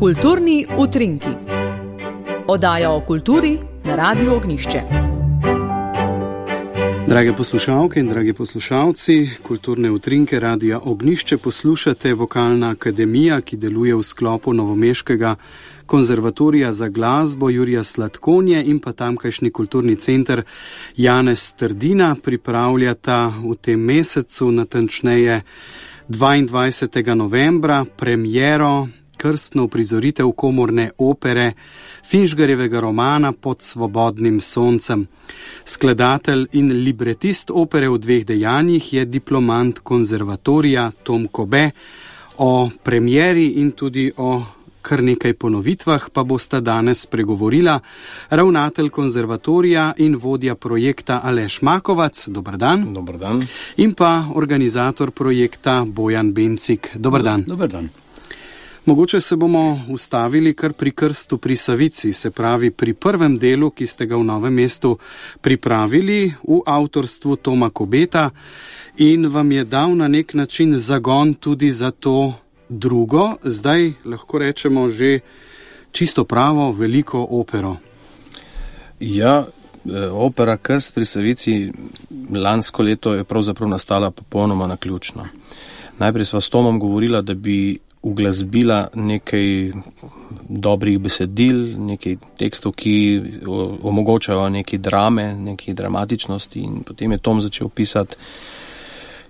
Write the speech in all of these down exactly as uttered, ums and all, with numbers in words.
Kulturni utrinki. Oddaja o kulturi na Radiu Ognjišče. Drage poslušalke in dragi poslušalci, kulturne utrinke Radia Ognjišče poslušate Vokalna akademija, ki deluje v sklopu novomeškega konzervatorija za glasbo Jurija Slatkonje in pa tamkajšnji kulturni center Janez Trdina pripravljata v tem mesecu, natančneje dvaindvajsetega novembra, premiero, krstno uprizoritev komorne opere Finžgarjevega romana Pod svobodnim soncem. Skladatelj in libretist opere v dveh dejanjih je diplomant konzervatorija Tom Kobe. O premieri in tudi o kar nekaj ponovitvah pa bosta danes spregovorila ravnatelj konzervatorija in vodja projekta Aleš Makovac. Dobar dan. Dobar dan. In pa organizator projekta Bojan Bencik. Dobar dan. Dobar dan. Mogoče se bomo ustavili kar pri krstu pri Savici, se pravi pri prvem delu, ki ste ga v Novem mestu pripravili v avtorstvu Toma Kobeta in vam je dal na nek način zagon tudi za to drugo, zdaj lahko rečemo že čisto pravo veliko opero. Ja, opera Krst pri Savici lansko leto je pravzaprav nastala popolnoma naključno. Najprej sva s Tomom govorila, da bi uglasbila nekaj dobrih besedil, nekaj tekstov, ki omogočajo neke drame, neke dramatičnosti, in potem je Tom začel pisati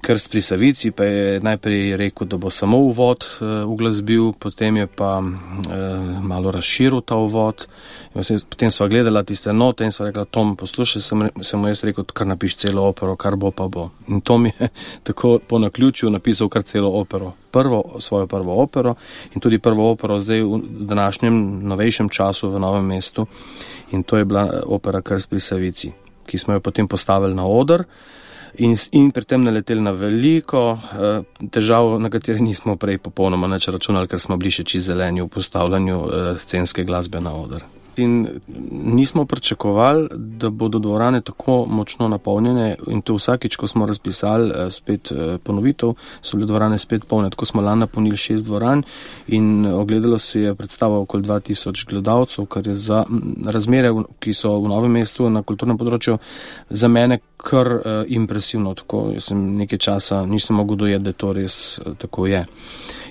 Krst pri Savici, pa je najprej rekel, da bo samo uvod uh, uglasbil, potem je pa uh, malo razširil ta uvod. Potem sva gledala tiste note in sva rekla, Tom, poslušaj, sem, sem mu jaz rekel, kar napiš celo opero, kar bo pa bo. In Tom je tako po naključju napisal kar celo opero. Prvo, svojo prvo opero in tudi prvo opero zdaj v današnjem novejšem času v Novem mestu. In to je bila opera Krst pri Savici, ki smo jo potem postavili na oder. In, in pri tem naleteli na veliko uh, težav, na katere nismo prej popolnoma nič računali, ker smo bili še čisto zeleni v postavljanju uh, scenske glasbe na oder. In nismo pričakovali, da bodo dvorane tako močno napolnjene, in to vsakič, ko smo razpisali uh, spet uh, ponovitev, so bile dvorane spet polne. Tako smo lani napolnili šest dvoran in ogledalo se je predstava okoli dva tisoč gledalcev, kar je za razmere, ki so v Novem mestu na kulturnem področju, za mene kar uh, impresivno. Tako, jaz sem nekaj časa nisem mogel dojeti, da to res uh, tako je.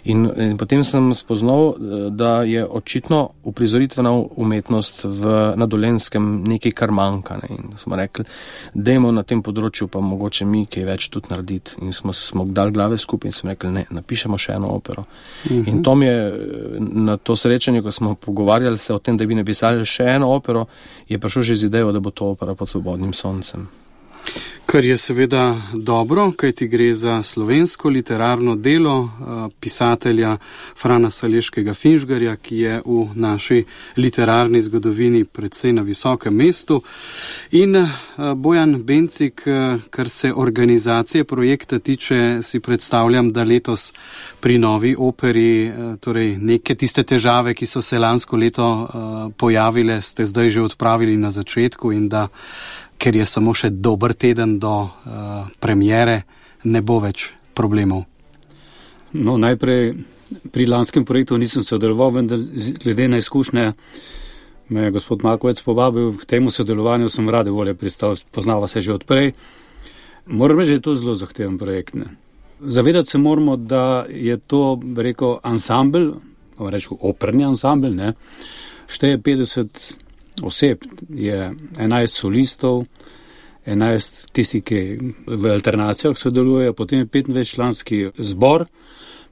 In, in potem sem spoznal, da je očitno uprizoritvena umetnost v, na Dolenjskem nekaj, kar manjka. Ne? In smo rekli, dajmo na tem področju pa mogoče mi kaj več tudi narediti. In smo, smo dali glave skupaj in smo rekli, ne, napišemo še eno opero. Uh-huh. In Tom je na to srečanje, ko smo pogovarjali se o tem, da bi napisali še eno opero, je prišel že z idejo, da bo to opera Pod svobodnim soncem. Kar je seveda dobro, kajti gre za slovensko literarno delo pisatelja Frana Saleškega Finžgarja, ki je v naši literarni zgodovini precej na visokem mestu. In Bojan Bencik, kar se organizacije projekta tiče, si predstavljam, da letos pri novi operi, torej neke tiste težave, ki so se lansko leto pojavile, ste zdaj že odpravili na začetku in da ker je samo še dober teden do uh, premiere, ne bo več problemov. No, najprej pri lanskem projektu nisem sodeloval, vendar glede na izkušnje me je gospod Makovec povabil k temu sodelovanju, sem rade volje pristal, poznava se že odprej. Moram reči, da je to zelo zahteven projekt. Ne? Zavedati se moramo, da je to, rekel, ansambel, rekel, operni ansambel, ne? Šteje petdeset oseb, je enajst solistov, enajst tisti, ki v alternacijah sodelujejo, potem je petindvajsetčlanski zbor,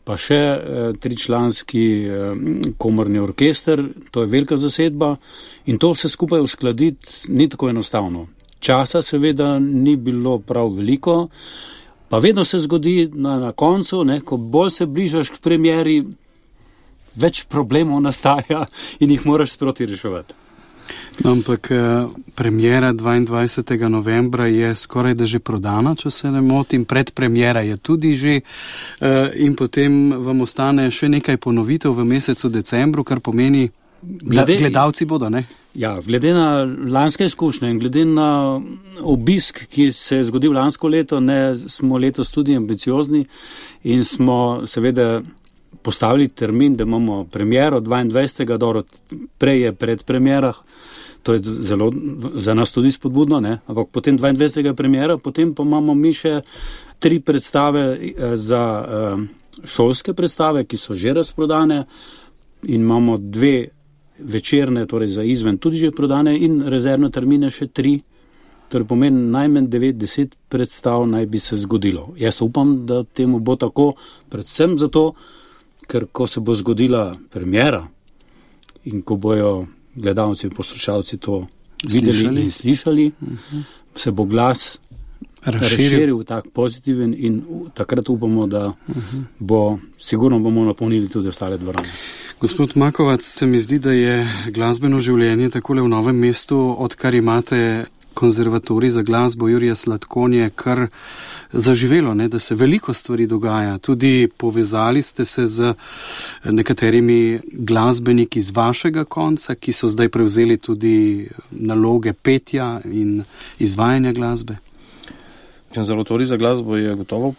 pa še eh, tričlanski eh, komorni orkester, to je velika zasedba in to vse skupaj uskladiti ni tako enostavno. Časa seveda ni bilo prav veliko, pa vedno se zgodi na, na koncu, ne, ko bolj se bližaš k premieri, več problemov nastaja in jih moraš sproti reševati. Ampak premiera dvaindvajsetega novembra je skoraj da že prodana, če se ne motim, predpremiera je tudi že in potem vam ostane še nekaj ponovitev v mesecu decembru, kar pomeni, glede, gledalci bodo, ne? Ja, glede na lanske izkušnje in glede na obisk, ki se je zgodil lansko leto, ne, smo letos tudi ambiciozni in smo seveda postavili termin, da imamo premiero dvaindvajsetega dobro, prej je pred premierah, to je zelo za nas tudi spodbudno, ne? Ampak potem dvaindvajsetega premiera, potem pa imamo mi še tri predstave za šolske predstave, ki so že razprodane in imamo dve večerne, torej za izven tudi že prodane in rezervne termine še tri. Torej pomeni najmanj devet deset predstav naj bi se zgodilo. Jaz upam, da temu bo tako, predvsem zato, ker ko se bo zgodila premiera in ko bojo gledalci in poslušalci to videli slišali. in slišali, uh-huh. se bo glas razširil, razširil tak pozitiven in takrat upamo, da uh-huh. bo, sigurno bomo napolnili tudi ostale dvorane. Gospod Makovac, se mi zdi, da je glasbeno življenje takole v Novem mestu, odkar imate konzervatorij za glasbo Jurija Slatkonje, kar zaživelo, ne, da se veliko stvari dogaja. Tudi povezali ste se z nekaterimi glasbeniki z vašega konca, ki so zdaj prevzeli tudi naloge petja in izvajanja glasbe. Konzervatorij za glasbo je gotovo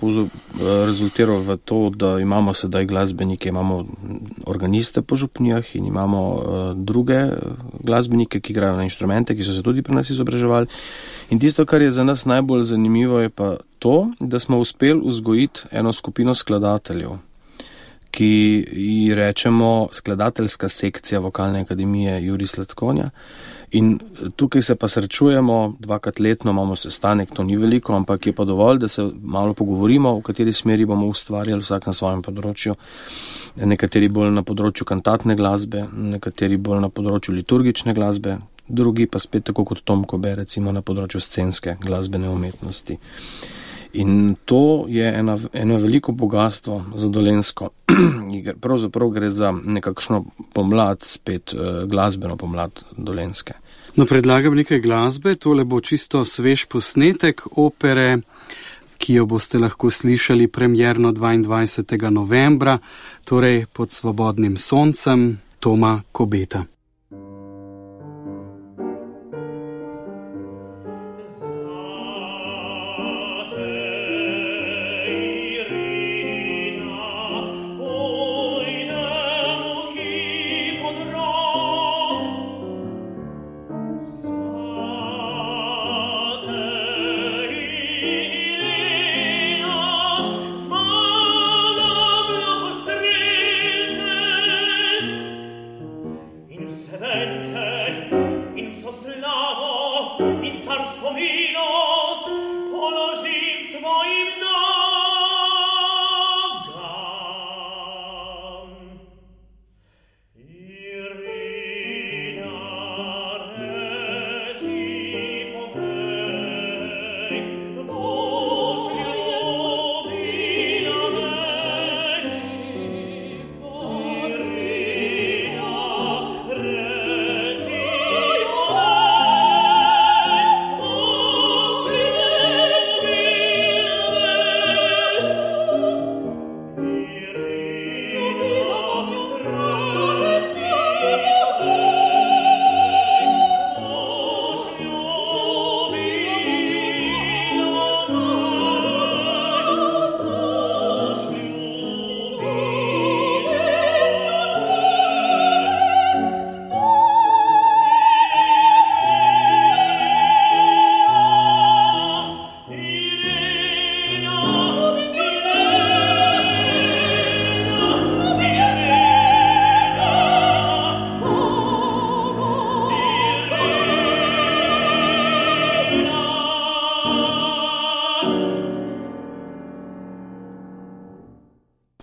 rezultiral v to, da imamo sedaj glasbenike, imamo organiste po župnijah in imamo uh, druge glasbenike, ki igrajo na inštrumente, ki so se tudi pri nas izobraževali. In tisto, kar je za nas najbolj zanimivo, je pa to, da smo uspeli vzgojiti eno skupino skladateljev, ki ji rečemo skladateljska sekcija Vokalne akademije Jurij Slatkonja. In tukaj se pa srečujemo, dvakrat letno imamo sestanek, to ni veliko, ampak je pa dovolj, da se malo pogovorimo, v kateri smeri bomo ustvarjali vsak na svojem področju. Nekateri bolj na področju kantatne glasbe, nekateri bolj na področju liturgične glasbe, drugi pa spet tako kot Tom Kobe, recimo na področju scenske glasbene umetnosti. In to je ena, eno veliko bogatstvo za Dolenjsko. Pravzaprav gre za nekakšno pomlad, spet glasbeno pomlad Dolenjske. No, predlagam nekaj glasbe, tole bo čisto svež posnetek opere, ki jo boste lahko slišali premierno dvaindvajsetega novembra, torej Pod svobodnim soncem Toma Kobeta.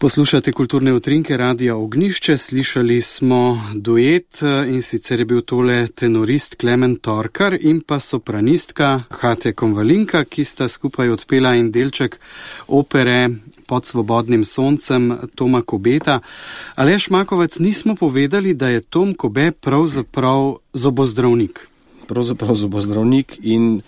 Poslušate kulturne utrinke Radia Ognišče, slišali smo duet in sicer je bil tole tenorist Klemen Torkar in pa sopranistka Hate Konvalinka, ki sta skupaj odpela en delček opere Pod svobodnim soncem Toma Kobeta. Aleš Makovec, nismo povedali, da je Tom Kobe pravzaprav zobozdravnik. Pravzaprav zobozdravnik in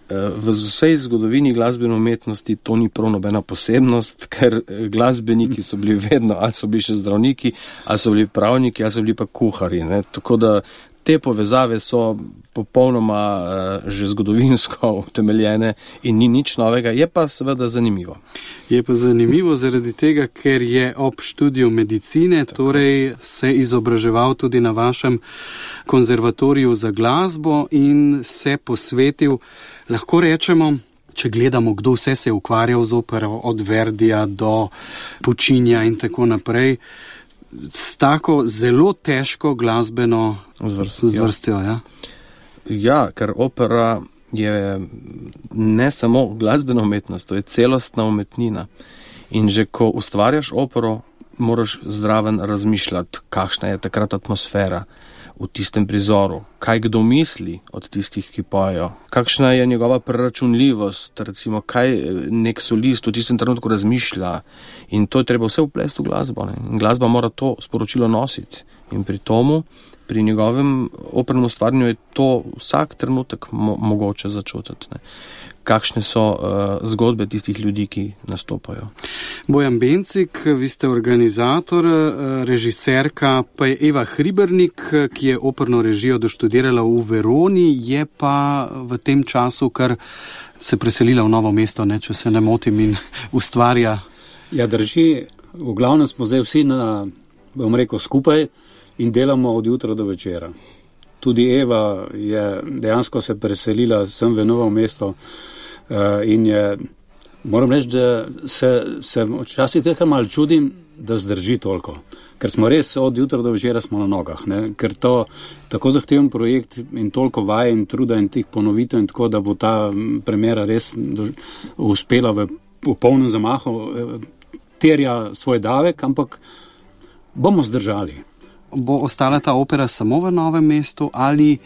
v vsej zgodovini glasbene umetnosti to ni prav nobena posebnost, ker glasbeniki so bili vedno, ali so bili še zdravniki, ali so bili pravniki, ali so bili pa kuhari. Ne? Tako da te povezave so popolnoma uh, že zgodovinsko utemeljene in ni nič novega, je pa seveda zanimivo. Je pa zanimivo zaradi tega, ker je ob študiju medicine, tako. Torej se izobraževal tudi na vašem konzervatoriju za glasbo in se posvetil, lahko rečemo, če gledamo, kdo vse se je ukvarjal z opero, od Verdija do Puccinija in tako naprej, s tako zelo težko glasbeno zvrstjo. Ja. ja, ker opera je ne samo glasbena umetnost, to je celostna umetnina. In že ko ustvarjaš opero, moraš zraven razmišljati, kakšna je takrat atmosfera v tistem prizoru, kaj kdo misli od tistih, ki pojejo, kakšna je njegova preračunljivost, recimo, kaj nek solist v tistem trenutku razmišlja. In to je treba vse vplesti v glasbo. Ne? In glasba mora to sporočilo nositi. In pri tomu, pri njegovem opernem ustvarjanju je to vsak trenutek mo- mogoče začutiti. Ne? Kakšne so uh, zgodbe tistih ljudi, ki nastopajo. Bojan Bencik, vi ste organizator, režiserka pa je Eva Hribernik, ki je operno režijo doštudirala v Veroni, je pa v tem času, kar se preselila v Novo mesto, ne, če se ne motim, in ustvarja. Ja, drži. V glavnem smo zdaj vsi, na, bom rekel, skupaj in delamo od jutra do večera. Tudi Eva je dejansko se preselila sem v Novo mesto uh, in je, moram reči, da se, se včasih tega malo čudim, da zdrži toliko. Ker smo res od jutra do večera smo na nogah. Ne? Ker to tako zahteven projekt in toliko vaje in truda in tih ponovitev in tako, da bo ta premjera res do, uspela v, v polnem zamahu, terja svoj davek, ampak bomo zdržali. Bo ostala ta opera samo v Novem mestu ali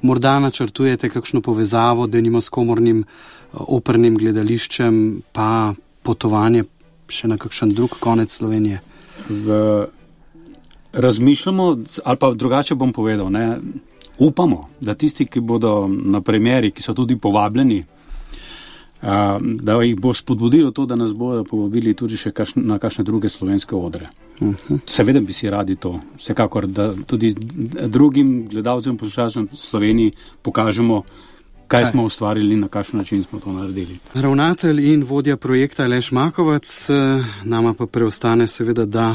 morda načrtujete kakšno povezavo, denimo s komornim opernim gledališčem, pa potovanje še na kakšen drug konec Slovenije? V, razmišljamo, ali pa drugače bom povedal, ne, upamo, da tisti, ki bodo na premjeri, ki so tudi povabljeni, a, da jih bo spodbudilo to, da nas bodo povabili tudi še kaš, na kakšne druge slovenske odre. Uh-huh. Seveda bi si radi to. Vsekakor, da tudi drugim gledalcem, poslušalcem v Sloveniji pokažemo, kaj, kaj smo ustvarili, na kakšen način smo to naredili. Ravnatelj in vodja projekta Aleš Makovac, nama pa preostane seveda, da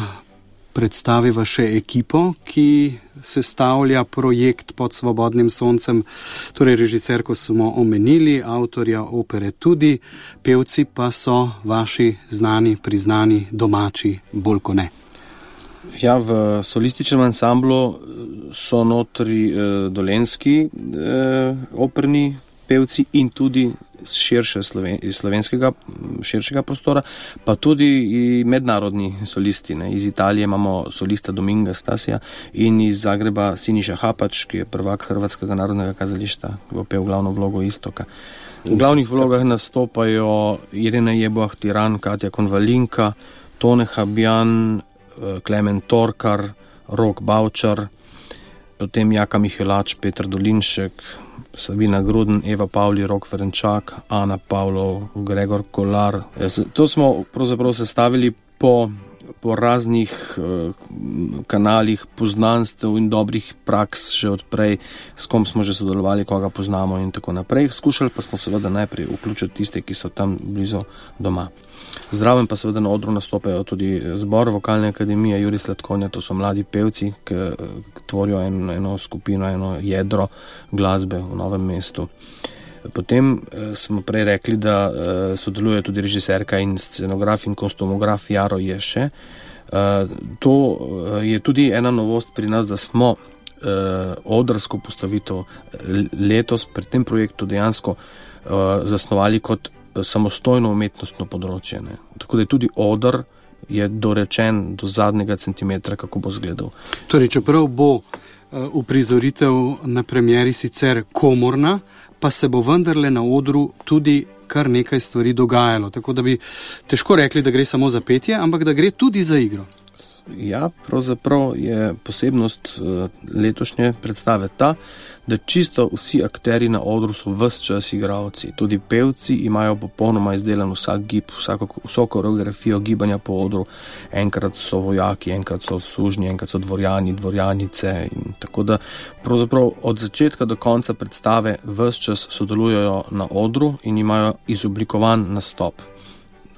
predstaviva še ekipo, ki sestavlja projekt Pod svobodnim soncem. Torej režiserko smo omenili, avtorja opere tudi, pevci pa so vaši znani, priznani, domači, bolj ko ne. Ja, v solističnem ansamblu so notri eh, dolenski eh, operni pevci in tudi širše sloven, slovenskega, širšega prostora, pa tudi i mednarodni solisti. Ne. Iz Italije imamo solista Dominga Stasija in iz Zagreba Siniša Hapač, ki je prvak Hrvatskega narodnega kazališta, ki bo pel glavno vlogo Istoka. V glavnih vlogah nastopajo Irena Jeboah Tiran, Katja Konvalinka, Tone Habjan, Klemen Torkar, Rok Bavčar, potem Jaka Mihelač, Peter Dolinšek, Sabina Gruden, Eva Pavli, Rok Ferenčak, Ana Pavlov, Gregor Kolar. To smo pravzaprav sestavili po, po raznih uh, kanalih poznanstev in dobrih praks že odprej, s kom smo že sodelovali, koga poznamo in tako naprej. Skušali pa smo seveda najprej vključiti tiste, ki so tam blizu doma. Zdraven pa seveda na odru nastopajo tudi zbor Vokalne akademije Jurij Sladkonja, to so mladi pevci, ki tvorijo eno, eno skupino, eno jedro glasbe v Novem mestu. Potem eh, smo prej rekli, da eh, sodeluje tudi režiserka in scenograf in kostumograf Jaro Ješe. Eh, to eh, je tudi ena novost pri nas, da smo eh, odrsko postavitev letos pri tem projektu dejansko eh, zasnovali kot samostojno umetnostno področje. Ne. Tako da je tudi odr je dorečen do zadnjega centimetra, kako bo izgledal. Torej, čeprav bo uh, uprizoritev na premieri sicer komorna, pa se bo vendarle na odru tudi kar nekaj stvari dogajalo. Tako da bi težko rekli, da gre samo za petje, ampak da gre tudi za igro. Ja, pravzaprav je posebnost uh, letošnje predstave ta, da čisto vsi akteri na odru so ves čas igralci. Tudi pevci imajo popolnoma izdelan vsak gib, vsako, vso koreografijo gibanja po odru. Enkrat so vojaki, enkrat so sužnji, enkrat so dvorjani, dvorjanice. In tako da pravzaprav od začetka do konca predstave ves čas sodelujejo na odru in imajo izoblikovan nastop.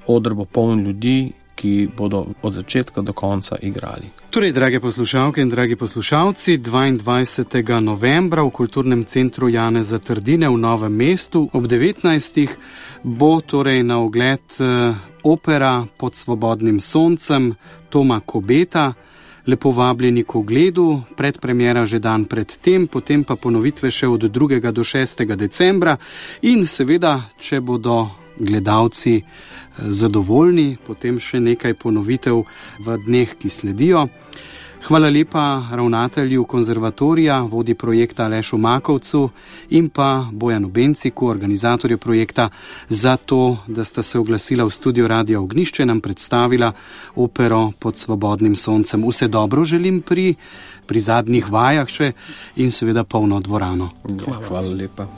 Oder bo poln ljudi, ki bodo od začetka do konca igrali. Torej, drage poslušalke in dragi poslušalci, dvaindvajsetega novembra v Kulturnem centru Janeza Trdine v Novem mestu ob devetnajstih bo torej na ogled opera Pod svobodnim soncem Toma Kobeta. Lepo vabljeni k ogledu, predpremiera že dan pred tem, potem pa ponovitve še od drugega do šestega decembra in seveda, če bodo gledalci zadovoljni, potem še nekaj ponovitev v dneh, ki sledijo. Hvala lepa ravnatelju konzervatorija, vodi projekta Alešu Makovcu in pa Bojanu Benciku, organizatorju projekta, za to, da sta se oglasila v studio Radia Ognjišče, nam predstavila opero Pod svobodnim soncem. Vse dobro želim pri, pri zadnjih vajah še in seveda polno dvorano. Hvala, hvala lepa.